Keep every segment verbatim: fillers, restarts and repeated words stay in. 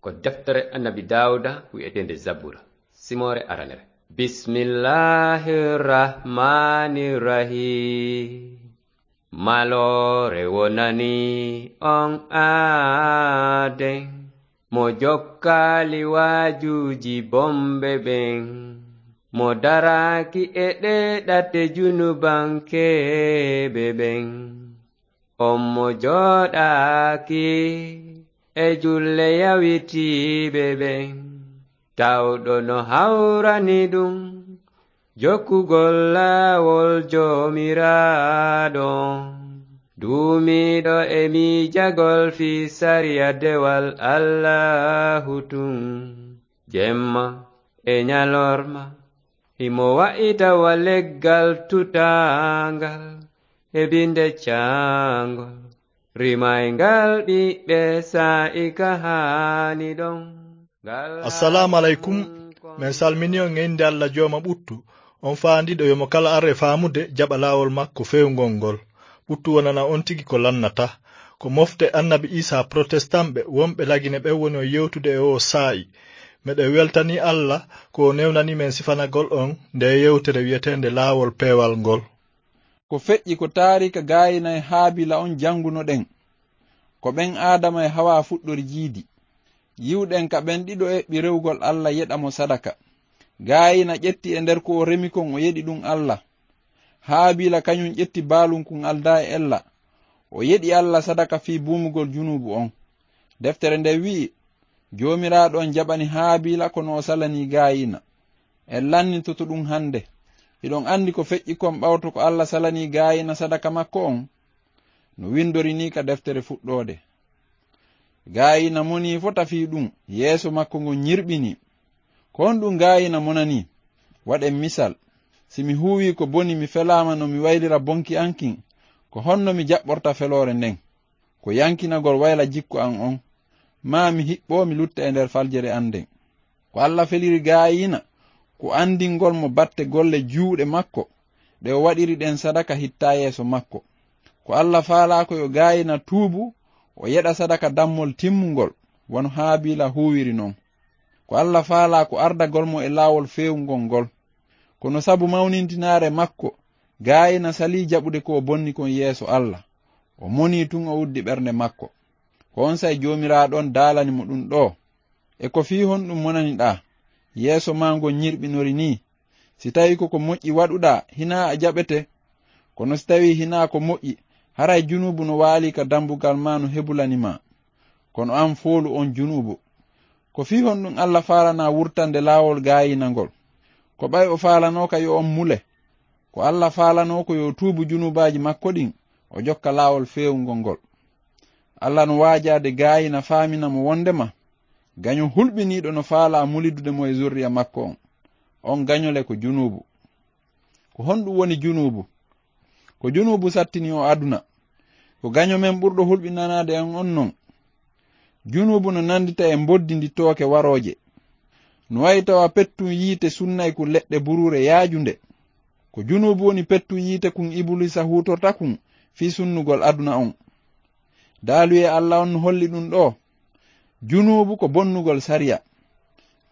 Ko deftere Annabi Daawuda wi'eteende Zabura, simoore aranere. Bismillahir Rahmanir Rahim. Maloore wonani on aaden, mo jokkaali waajuuji bomɓe ɓen, mo daraaki e ɗee ɗate junubankeeɓe ɓen. On mo jooɗaaki e julle yawitiiɓe ɓen, tawɗo no hawrani ɗum jokkugol laawol Joomiraaɗo. Duumiiɗo e miijagol fii sariya dewal Allaahu tun, jemma e ñalorma, himo wa'ita wa leggal tutaangal e binde caangol, rimayngal ɓiɓɓe saa'i ka haani ɗon. Ngal Assalaamu aleykum. Men salmini on e innde Alla Jooma ɓuttu, on faandiiɗo yo mo kala ar e faamude jaɓa laawol makko feewngol ngol. Ɓuttu wonana on tigi ko lannata. Ko mofte Annabi Iisaa Protestant ɓe wonɓe Lagine ɓen woni on yewtude e oo saa'i. Meɗen weltanii Alla ko o newnanii men sifanagol on ndee yewtere wi'eteende Laawol Peewal ngol. Ko feƴƴi ko taariika Gaayina e Haabiila on janngunoɗen. Ko ɓen Aadama e Hawaa fuɗɗori jiidi. Yi'uɗen ka ɓen ɗiɗo eɓɓi rewugol Alla yeɗa mo sadaka. Gaayina ƴetti e nder ko o remi kon o yeɗi ɗum Alla. Haabiila kañum ƴetti baalun kun aldaa e ella. O yeɗi Alla sadaka fii buumugol junuubu on. Deftere nden wi'i, Joomiraaɗo on jaɓani Haabiila kono o salanii Gaayina. En lannitoto ɗum hannde. Hiɗon anndi ko feƴƴi kon ɓawto ko Alla salanii Gaayina sadaka makko on? No winndori nii ka deftere Fuɗɗoode. Gaayina monii fota fii ɗum, yeeso makko ngon ñirɓinii. Ko honɗum Gaayina monanii? Waɗen misal. Si mi huuwii ko boni, mi felaama no mi waylira bonki an kin, ko honno mi jaɓɓorta feloore nden? Ko yankinagol wayla jikku an on, maa mi hiɓɓoo mi lutta e nder faljere an nden. Ko Alla feliri Gaayina, ko anndingol mo batte golle juuɗe makko, ɗe o waɗiri ɗen sadaka hittaa yeeso makko. Ko Alla faalaa ko yo Gaayina tuubu, o yeɗa sadaka dammol timmungol, wano Haabiila huuwiri non. Ko Alla faalaa ko ardagol mo e laawol feewungol ngol. Kono sabu mawnintinaare makko, Gaayina salii jaɓude ko o bonni kon yeeso Alla. O monii tun o uddi ɓernde makko. Ko onsay Joomiraaɗo on daalani mo ɗum ɗoo. E ko fii honɗum monaniɗaa? Yeeso maa ngon ñirɓinori nii. Si tawii ko ko moƴƴi waɗuɗaa, hinaa a jaɓete. Kono si tawii hinaa ko moƴƴi, haray junuubu no waalii ka dambugal maa no hebulani maa. Kono an foolu on junuubu. Ko fii honɗum Alla faalanaa wurtande laawol Gaayina ngol? Ko ɓay o faalanooka yo on mule. Ko Alla faalanoo ko yo tuubu junuubaaji makko ɗin, o jokka laawol feewungol ngol. Alla no waajaade Gaayina faamina mo wondema, gaño hulɓiniiɗo no faalaa mulidude mo e zurriya makko on. On gaño le ko junuubu. Ko honɗum woni junuubu? Ko junuubu sattini o aduna. Ko gaño men ɓurɗo hulɓinanaade en on non. Junuubu no nandita e mboddi ndi tooke warooje. No wayi tawa pettun yiite sunnay kun leɗɗe buruure yaajunde. Ko junuubu woni pettun yiite kun Ibuliisa huutorta kun fii sunnugol aduna on. Daaluyee Alla on no holli ɗum ɗoo. Junuubu ko bonnugol sariya.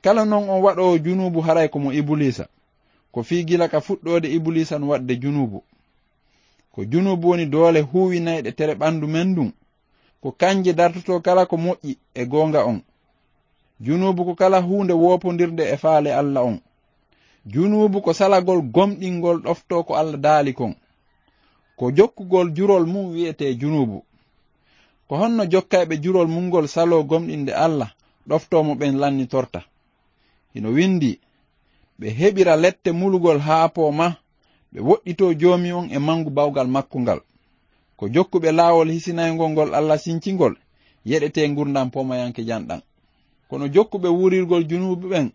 Kala non on waɗoowo junuubu haray ko mo Ibuliisa. Ko fii gila ka fuɗɗoode Ibuliisa no waɗde junuubu. Ko junuubu woni doole huuwinayɗe tere ɓandu men ndun. Ko kanje dartotoo kala ko moƴƴi e goonga on. Junuubu ko kala huunde woopondirde e faale Alla on. Junuubu ko salagol gomɗingol ɗoftoo ko Alla daali kon. Ko jokkugol jurol mun wi'etee junuubu. Ko honno jokkayɓe jurol mun ngol saloo gomɗinde Alla, ɗoftoo mo ɓen lannitorta? Hino windii, ɓe heɓira lette mulugol haa poomaa, ɓe woɗɗitoo Joomi on e mangu bawgal makko ngal. Ko jokkuɓe laawol hisinayngol ngol Alla sincingol, yeɗetee ngurndan poomayanke janɗan. Kono jokkuɓe wuurirgol junuubu ɓen,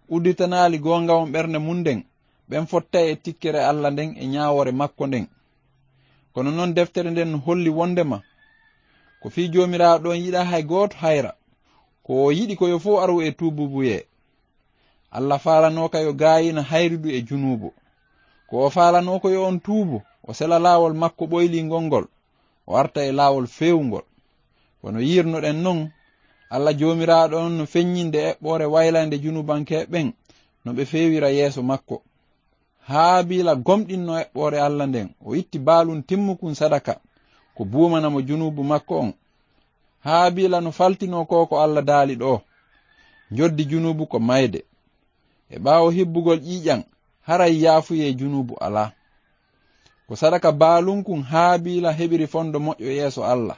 udditanaali goonga on ɓernde mun nden, ɓen fottay e tikkere Alla nden e ñaawoore makko nden. Kono non deftere nden no holli wondema, ko fii Joomiraaɗo on yiɗaa hay gooto hayra. Ko o yiɗi ko yo fow aru e tuububuyee. Alla faalanooka yo Gaayina hayrudu e junuubu. Ko o faalanoo ko yo on tuubu, o sela laawol makko ɓoyliingol ngol, o arta e laawol feewungol. Wano yi'irnoɗen non, Alla Joomiraaɗo on no feññinde eɓɓoore waylande junubankeeɓe ɓen no ɓe feewira yeeso makko. Haabiila gomɗinno eɓɓoore Alla nden, o itti baalun timmukun sadaka, ko buumana mo junuubu makko on. Haabiila no faltinoo ko ko Alla daali ɗoo. Njoddi junuubu ko mayde. E ɓaawo hibbugol ƴiiƴan, haray yaafuyee junuubu alaa. Ko sadaka baalunkun Haabiila heɓiri fondo moƴƴo yeeso Alla.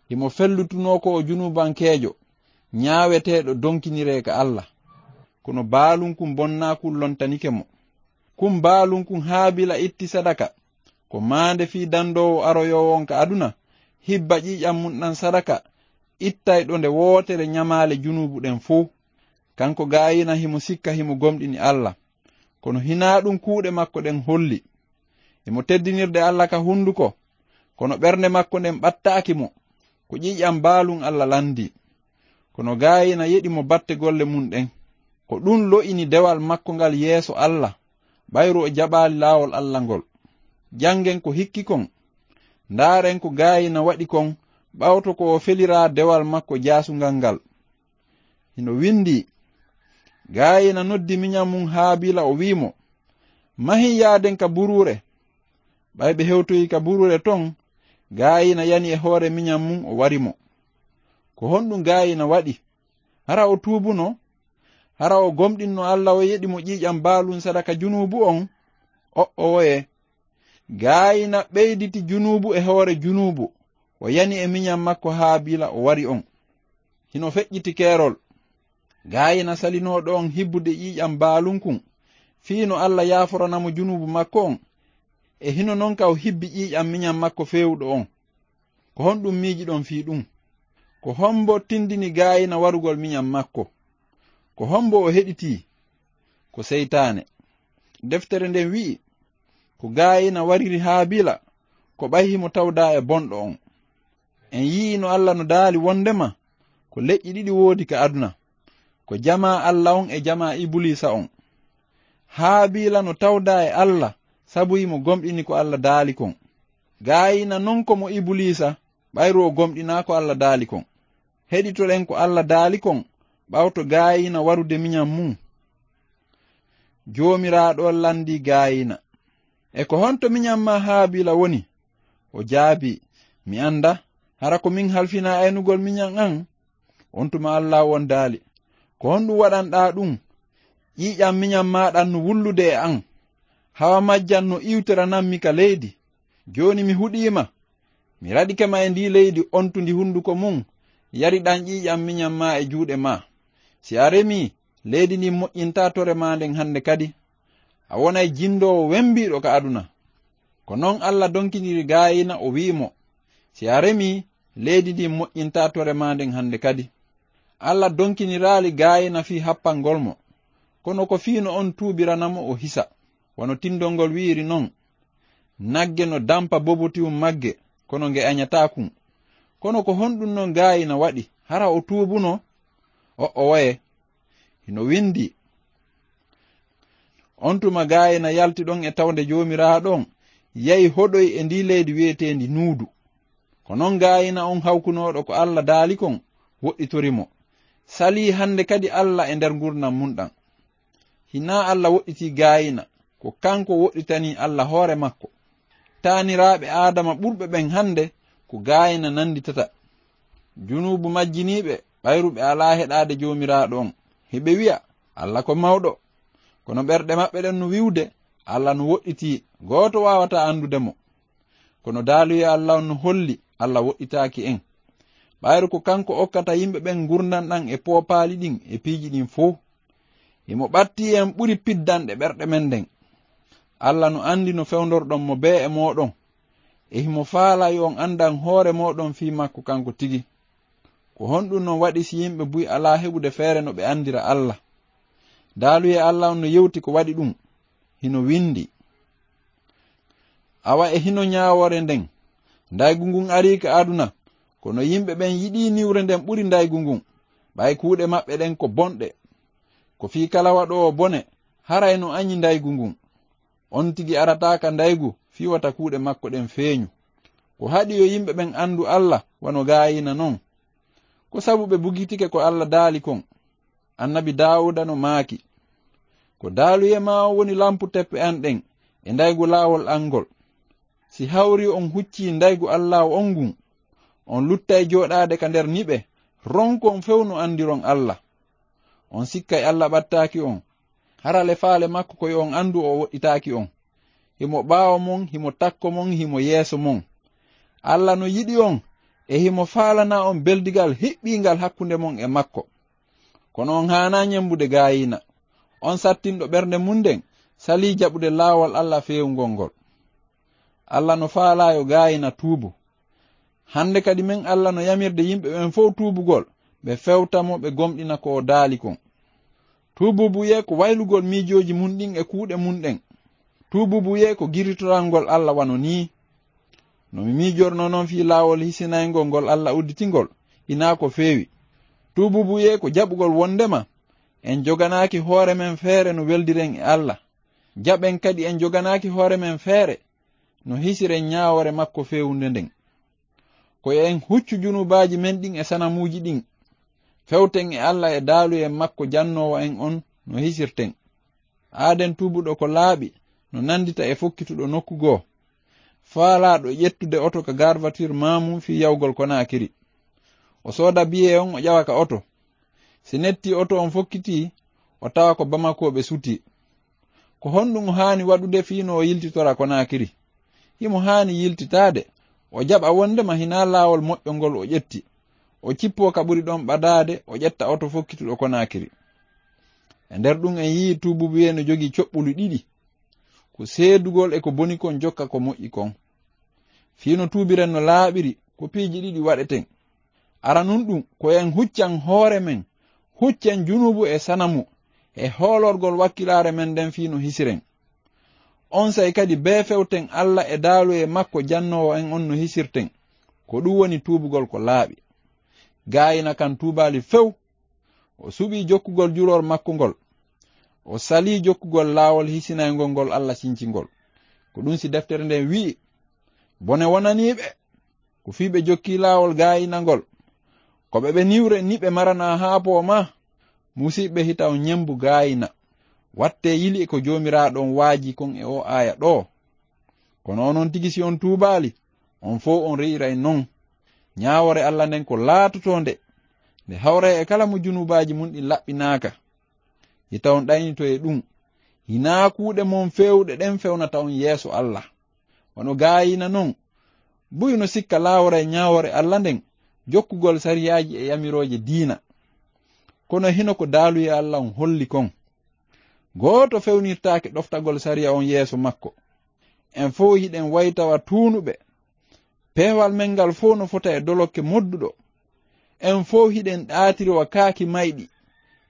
Himo fellutunoo ko o junuubankeejo, ñaaweteeɗo donkiniree ka Alla. Kono baalunkun bonnaakun lontanike mo. Kun baalunkun Haabiila itti sadaka, ko maande fii dandoowo aroyoowo on ka aduna, hibba ƴiiƴan mun ɗan sadaka, ittayɗo nde wootere ñamaale junuubu ɗen fow. Kanko Gaayiina himo sikka himo gomɗini Alla. Kono hinaa ɗun kuuɗe makko ɗen holli. Himo teddinirde Alla ka hunduko, kono ɓernde makko nden ɓattaaki mo, ko ƴiiƴan baalun Alla landii. Kono Gaayiina yeɗi mo batte golle mun ɗen. Ko ɗun lo'ini dewal makko ngal yeeso Alla, ɓayru o jaɓaali laawol Alla ngol. Janngen ko hikki kon. Ndaaren ko Gaayiina waɗi kon ɓawto ko o feliraa dewal makko jaasungal ngal. Hino windii, Gaayiina noddi miñan mun Haabiila, o wi'i mo, "Mahin yaaden ka buruure." Ɓay ɓe hewtoyi ka buruure ton, Gaayiina yani e hoore miñan mun, o wari mo. Ko honɗun Gaayiina waɗi? Hara o tuubuno? Hara o gomɗinno Alla o yeɗi mo ƴiiƴan baalun sadaka junuubu on? O'owoye. Gaayiina ɓeyditi junuubu e hoore junuubu, o yani e miñan makko Haabiila o wari on. Hino feƴƴiti keerol. Gaayiina salinooɗo on hibbude ƴiiƴan baalun kun, fii no Alla yaaforana mo junuubu makko on, e hino non ka o hibbi ƴiiƴan miñan makko feewuɗo on. Ko honɗun miijiɗon fii ɗun? Ko hombo tindini Gaayiina warugol miñan makko? Ko hombo o heɗitii? Ko seytaane. Deftere nden wi'i, ko Gaayiina wariri Haabiila, ko ɓay himo tawdaa e bonɗo on. En yi'ii no Alla no daali wondema ko leƴƴi ɗiɗi woodi ka aduna, ko jamaa Alla on e jamaa Ibuliisa on. Haabiila no tawdaa e Alla sabu himo gomɗini ko Alla daali kon. Gaayiina non ko mo Ibuliisa, ɓayru o gomɗinaa ko Alla daali kon. Heɗitoɗen ko Alla daali kon ɓawto Gaayiina warude miñan mun. Joomiraaɗo on landii Gaayiina, "E ko honto miñan maa Haabiila woni?" O jaabii, "Mi anda, hara ko min halfinaa aynugol miñan an?" On tuma Alla on daali, "Ko honɗun waɗanɗaa ɗun? Ƴiiƴan miñan maa ɗan no wullude e an. Hawa majjan no iwtoranammi ka leydi. Jooni mi huɗii ma. Mi raɗike ma e ndii leydi ontundi hunduko mun, yariɗan ƴiiƴan miñan maa e juuɗe maa. Si a remii, leydi ndin moƴƴintaa tore maa nden hande kadi. A wonay jindoowo wembiiɗo ka aduna." Ko non Alla donkiniri Gaayiina, o wi'i mo, "Si a remii, leydi ndin moƴƴintaa tore maa nden hande kadi." Alla donkiniraali Gaayiina fii happangol mo, kono ko fii no on tuubirana mo o hisa, wano tindol ngol wi'iri non, "Nagge no dampa bobotiwun magge, kono nge añataa kun." Kono ko honɗun non Gaayiina waɗi? Hara o tuubuno? O'owoye. Hino windii, "On tuma Gaayiina yalti ɗon e tawnde Joomiraaɗo on, yahi hoɗoyi e ndii leydi wi'eteendi Nuudu." Ko non Gaayiina on hawkunooɗo ko Alla daali kon woɗɗitori mo. Salii hande kadi Alla e nder ngurndan mun ɗan. Hinaa Alla woɗɗitii Gaayiina, ko kanko woɗɗitanii Alla hoore makko. Taaniraaɓe Aadama ɓurɓe ɓen hande ko Gaayiina nanditata. Junuubu majjiniiɓe ɓayru ɓe alaa heɗaade Joomiraaɗo on. Hiɓe wi'a, "Alla ko mawɗo." Kono ɓerɗe maɓɓe ɗen no wi'ude, "Alla no woɗɗitii, gooto waawataa andude mo." Kono daaluyee Alla on no holli Alla woɗɗitaaki en. Ɓayru ko kanko okkata yimɓe ɓen ngurndan ɗan e poopaali ɗin e piiji ɗin fow. Himo ɓattii en ɓuri piddanɗe ɓerɗe men ɗen. Alla no andi no fewndorɗon mo bee e mooɗon. E himo faalaa yo on andan hoore mooɗon fii makko kanko tigi. Ko honɗun non waɗi si yimɓe buy alaa heɓude feere no ɓe andira Alla? Daaluyee Alla on no yewti ko waɗi ɗun. Hino windi, "Awa e hino ñaawoore nden, ndaygu ngun arii ka aduna, kono yimɓe ɓen yiɗii niwre nden ɓuri ndaygu ngun, ɓay kuuɗe maɓɓe ɗen ko bonɗe. Ko fii kala waɗoowo bone, haray no añi ndaygu ngun. On tigi arataa ka ndaygu fii wata kuuɗe makko ɗen feeñu." Ko haɗi yo yimɓe ɓen andu Alla wano Gaayiina non? Ko sabu ɓe bugitike ko Alla daali kon. Annabi Daawuda no maaki: "Ko daaluye maa on woni lampu teppe an ɗen e ndaygu laawol an ngol. Si hawri on huccii ndaygu Allaahu on ngun, on luttay jooɗaade ka nder niɓe, ronkon few no andiron Alla. On sikkay Alla ɓattaaki on, hara le faale makko ko yo on andu o woɗɗitaaki on. Himo ɓaawo mon, himo takko mon, himo yeeso mon. Alla no yiɗi on, e himo faalana on beldigal hiɓɓiingal hakkunde mon e makko. Kono on haanaa ñembude gaayiina. On sattinɗo ɓernde mun nden, salii jaɓude laawol Alla feewungol ngol." Alla no faalaa yo gaayiina tuubu. Hande kadi men Alla no yamirde yimɓe ɓen fow tuubugol, ɓe fewta mo, ɓe gomɗina ko o daali kon. Tuubuubuyee ko waylugol miijooji mun ɗin e kuuɗe mun ɗen. Tuubuubuyee ko girritorangol Alla wano nii. No mi miijornoo non fii laawol hisinayngol ngol Alla udditingol, hinaa ko feewi. Tuubuubuyee ko jaɓugol wondema en joganaaki hoore men feere no weldiren e Alla. Jaɓen kadi en joganaaki hoore men feere no hisiren ñaawoore makko feewunde nden. Ko yo en huccu junubaaji men ɗin e sanamuuji ɗin, fewten e Alla e daaluye makko jannoowo en on no hisirten. Aaden tuubuɗo ko laaɓi no nandita e fokkituɗo nokku goo, faalaaɗo ƴettude oto ka garvatir maamum fii yawgol Konaakiri. O sooda biyee on, o ƴawa ka oto. Si netti oto on fokkitii, o tawa ko Bamako ɓe sutii. Ko honɗum o haani waɗude fii no o yiltitora Konaakiri? Himo haani yiltitaade, o jaɓa wondema hinaa laawol moƴƴo ngol o ƴetti. O cippoo ka ɓuri ɗon ɓadaade, o ƴetta oto fokkituɗo Konaakiri. E nder ɗum en yi'i tuubuubuyee no jogii coɓɓuli ɗiɗi. Ko seedugol e ko boni kon jokka ko moƴƴi kon. Fii no tuubiren no laaɓiri, ko piiji ɗiɗi waɗeten. Aranun ɗum, ko en huccan hoore men, huccen junubu e sanamu, e hoolorgol wakkilaare men nden fii no hisiren. Onsay kadi bee fewten Alla e daaluye makko jannoowo en on no hisirten. Ko ɗum woni tuubugol ko laaɓi. Gaayina kan tuubaali few. O suɓii jokkugol juroor makko ngol. O salii jokkugol laawol hisinayngol ngol Alla cincingol. Ko ɗum si deftere nden wi'i: "Bone wonanii ɓe, ko fii ɓe jokkii laawol gaayina ngol. Ko ɓe ɓe niwre ni ɓe maranaa haapoo maa." Musiɓɓe, hita on ñembu gaayina. Wattee yili e ko Joomiraaɗo on waajii kon e oo aaya ɗoo. Kono onon tigi, si on tuubaali, on fow on re'iray non. Ñaawoore Alla nden ko laatotoonde, nde hawray e kala mo junubaaji mun ɗin laɓɓinaaka. Hita on ɗaynito e ɗum. Hinaa kuuɗe mon feewuɗe ɗen fewnata on yeeso Alla. Wano gaayina non, buy no sikka laawora e ñaawoore Alla nden, jokkugol sariyaaji e yamirooje diina. Kono hino ko daaluye Alla on holli kon. Gooto fewnirtaake ɗoftagol sariya on yeeso makko. En fow hiɗen waytawa tuunuɓe. Peewal men ngal fow no fota e dolokke modduɗo. En fow hiɗen ɗaatiri wa kaaki mayɗi.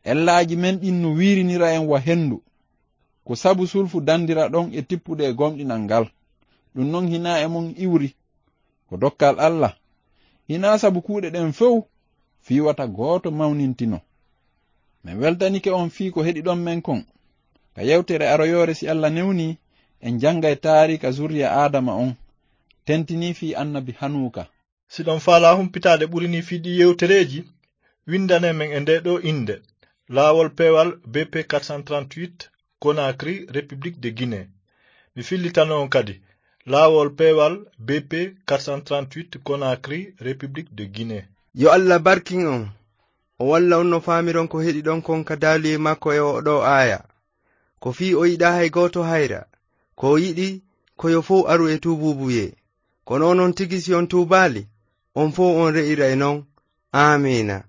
Ellaaji men ɗin no wiirinira en wa hendu. Ko sabu sulfu dandiraɗon e tippude e gomɗinal ngal. Ɗum non hinaa e mon iwri. Ko dokkal Alla. Hinaa sabu kuuɗe ɗen fow fii wata gooto mawnintino. Men weltanike on fii ko heɗiɗon men kon. Ka yewtere aroyoore, si Alla newni, en janngay taariika zurriya Aadama on, tentinii fii annabi Hanuuka. Si ɗon faalaa humpitaade ɓuri nii fii ɗii yewtereeji, winndane men e ndee ɗoo innde: Laawol Peewal B P quatre cent trente-huit, Conakry, République de Guinée. Mi fillitano on kadi: Laawol Peewal B P quatre cent trente-huit, Conakry, République de Guinée. Yo Alla barkin on. O walla on no faamiron ko heɗiɗon kon ka daaluyee makko e oo ɗoo aaya. Ko fii o yiɗaa hay gooto hayra. Ko o yiɗi, ko yo fow aru e tuubuubuyee. Kono onon tigi, si on tuubaali, on fow on re'iray non. Aamiina.